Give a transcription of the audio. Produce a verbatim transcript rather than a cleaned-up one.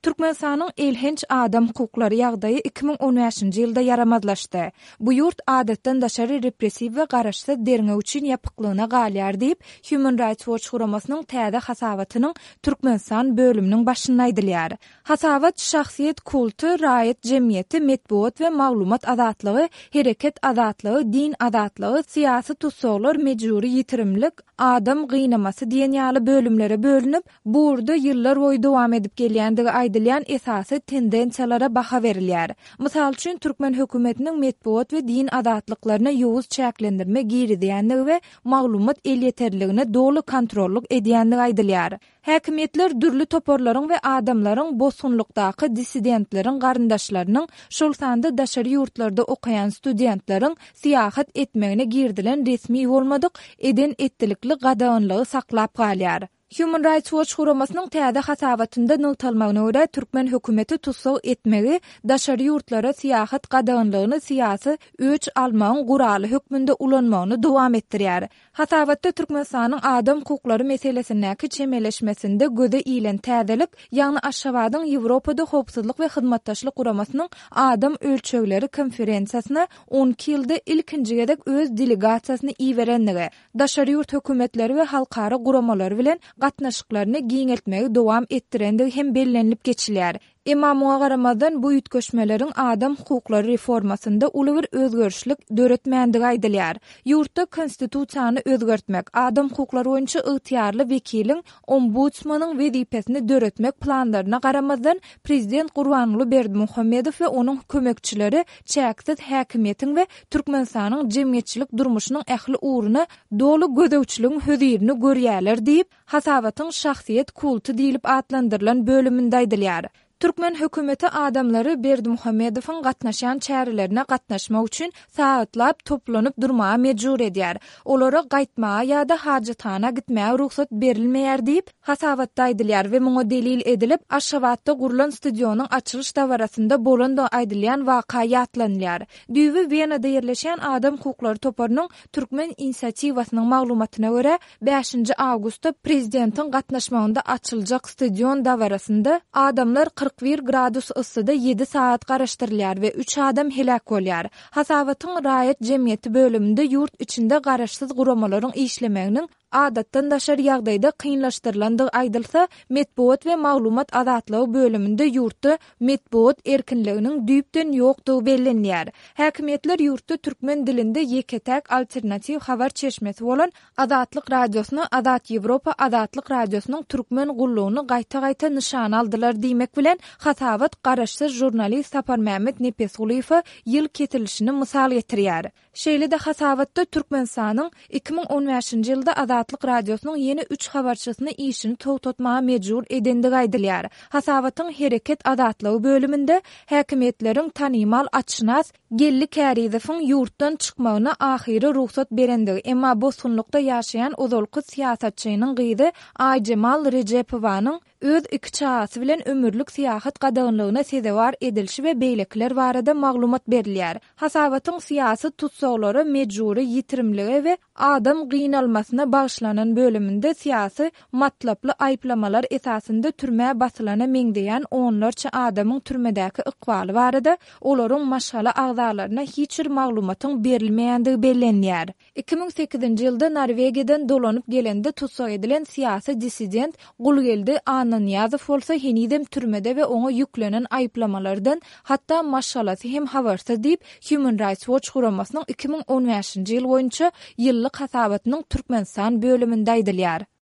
Türkmenistanyň elhenç adam hukuklary ýagdaýy iki müň on bäşinji ýylda ýaramazlaşdy. Bu ýurt adatdan daşary repressiw we garaşsyz derňew üçin ýapyklygyna galýar diýip, Human Rights Watch guramasynyň täze hasabatynyň Türkmenistan bölüminiň başynda aýdylýar. Hasabat şahsyýet kulty, raýat jemgyýeti, metbugat we maglumat azatlygy, hereket azatlygy, din azatlygy, syýasy tussaglar, mejbury ýitirimlik, adam gynamasy diýen ýaly bölümlere bölünip, bu ugurda ýyllar boýu dowam edip gelýändigi aýdylýan esasy tendensiýalara baha berilýär. Mysal üçin, türkmen hökümetiniň metbugat we din azatlyklaryna ýowuz çäklendirme girizýändigi we maglumat elýeterliligine doly kontrollyk edýändigi aýdylýar. Häkimiýetler dürli toparlaryň we adamlaryň bosgunlykdaky dissidentleriň garyndaşlarynyň, şol sanda daşary ýurtlarda okaýan studentleriň syýahat etmegine girizilen resmi bolmadyk eden-etdilikli gadaganlygy saklap galýar. Human Rights Watch guramasynyň täze hasabatynda nygtalmagyna görä, türkmen hökümeti tussag etmegi, daşary ýurtlara syýahat gadaganlygyny syýasy öç almagyň guraly hökmünde ulanmagyny dowam etdirýär. Hasabatda Türkmenistanyň adam hukuklary meselesindäki çemeleşmesinde göze ilen täzelik, ýagny Aşgabadyň Ýewropada Howpsuzlyk we Hyzmatdaşlyk Guramasynyň adam ölçegleri konferensiýasyna on iki ýylda ilkinji gezek öz delegasiýasyny iberenligi, daşary ýurt hökümetleri we halkara guramalary bilen gatnaşyklaryny giňeltmegi dowam etdirendigi hem bellenilip geçilýär. Emma muňa garamazdan bu üýtgeşmeleriň adam hukuklary reformasynda uly bir özgerişlik döretmändigi aýdylýar. Ýurtda konstitusiýany özgertmek, adam hukuklary boýunça ygtyýarly wekiliň ombudsmanyň wezipesini döretmek planlaryna garamazdan prezident Gurbanguly Berdimuhamedow we onuň kömekçileri çäksiz häkimiýetiň we Türkmenistanyň jemgyýetçilik durmuşynyň ähli ugruna doly gözegçiligiň hözirini görýärler diýip, hasabatyň şahsyýet kulty diýlip atlandyrylan bölüminde aýdylýar. Türkmen hökümeti adamlary Berdimuhamedowyň gatnaşýan çärelerine gatnaşmak üçin sagatlap toplanyp durmaga mejbur edýär. Olara gaýtmaga ýa-da hajathana gitmäge rugsat berilmeýär diýip, hasabatda aýdylýar we muňa delil edilip, Aşgabatda gurlan stadionyň açylyş dabarasynda bolandygy aýdylýan waka ýatlanylýar. Düýbi Wenada ýerleşýän adam hukuklary toparynyň Türkmen inisiatiwasynyň maglumatyna görä, bäşinji awgustda prezidentiň gatnaşmagynda açyljak stadion dabarasynda adamlar kyrk bir gradus yssyda ýedi sagat garaşdyrylýar we üç adam heläk bolýar. Hasabatyň raýat jemgyýeti bölüminde ýurt içinde garaşsyz guramalaryň işlemeginiň adatdan daşary ýagdaýda kynlaşdyrylandygy aýdylsa, metbugat we maglumat azatlygy bölüminde ýurtda metbugat erkinliginiň düýpden ýokdugy bellenýär. Häkimiýetler ýurtda türkmen dilinde ýeke-täk alternatiw habar çeşmesi bolan Azatlyk Radiosyny Azat Ýewropa Azatlyk Radiosynyň türkmen gullugyny gaýta-gaýta nyşana aldylar diýmek bilen hasabat garaşsyz žurnalist Saparmämmet Nepesgulyýewe ýyl kesilişini mysal getirýär. Şeýle-de hasabatda Türkmenistanyň iki müň on bäşinji ýylda Azatlyk Radiosynyň ýene üç habarçysyny işini togtatmaga mejbur edendigi aýdylýar. Hasabatyň Hereket azatlygy bölüminde häkimiýetleriň tanymal atşynas Geldi Kärizowyň ýurtdan çykmagyna ahyry rugsat berendigi, emma bosgunlykda ýaşaýan ozalky syýasatçynyň gyzy Aýjemal Rejepowanyň öz iki çagasy bilen ömürlik syýahat gadaganlygyna sezewar edilişi we beýlekiler barada maglumat berilýär. Hasabatyň syýasy tussaglara mejbury ýitirimlige we adam gynalmasyna bagyşlanan bölüminde syýasy matlaply aýyplamalar esasynda türmä basylana meňzeýän onlarça adamyň türmedäki ykbaly barada olaryň maşgala agzalaryna hiç bir maglumatyň berilmeýändigi bellenýär. Iki müň sekizinji ýylda Norwegiýadan dolanyp gelende tussag edilen syýasy dissident Gulgeldi Annanyýazow bolsa henizem türmede we oňa ýüklenen aýyplamalardan hatda maşgalasy hem habarsyz diýip, Human Rights Watch guramasynyň iki müň on bäşinji ýyl boýunça ýyllyk hasabatynyň Türkmenistan bölüminde aýdylýar.